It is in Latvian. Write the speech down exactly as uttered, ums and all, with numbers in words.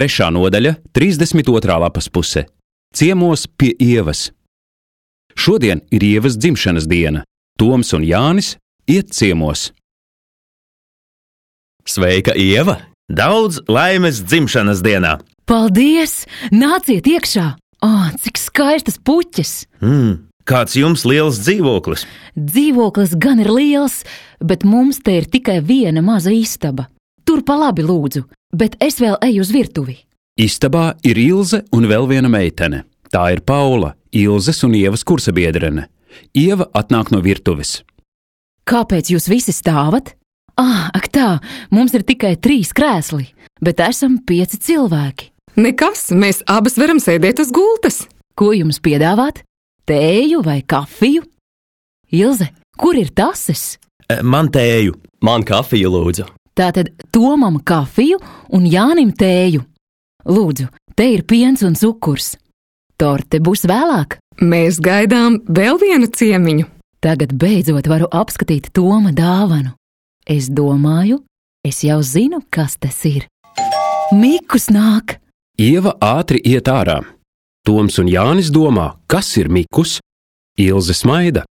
Trešā nodaļa, trīsdesmit otrā lapas puse. Ciemos pie Ievas. Šodien ir Ievas dzimšanas diena. Toms un Jānis iet ciemos. Sveika, Ieva! Daudz laimes dzimšanas dienā! Paldies! Nāciet iekšā! Ā, cik skaistas puķes! Mm, kāds jums liels dzīvoklis? Dzīvoklis gan ir liels, bet mums te ir tikai viena maza istaba. Tur pa labi lūdzu, bet es vēl eju uz virtuvi. Istabā ir Ilze un vēl viena meitene. Tā ir Paula, Ilzes un Ievas kursabiedrene. Ieva atnāk no virtuves. Kāpēc jūs visi stāvat? Ah, ak tā, mums ir tikai trīs krēsli, bet esam pieci cilvēki. Nekas, mēs abas varam sēdēt uz gultas. Ko jums piedāvāt? Tēju vai kafiju? Ilze, kur ir tases? Man tēju. Man kafiju, lūdzu. Tātad Tomam kafiju un Jānim tēju. Lūdzu, te ir piens un cukurs. Torte būs vēlāk. Mēs gaidām vēl vienu ciemiņu. Tagad beidzot varu apskatīt Toma dāvanu. Es domāju, es jau zinu, kas tas ir. Mikus nāk! Ieva ātri iet ārā. Toms un Jānis domā, kas ir Mikus. Ilze smaida.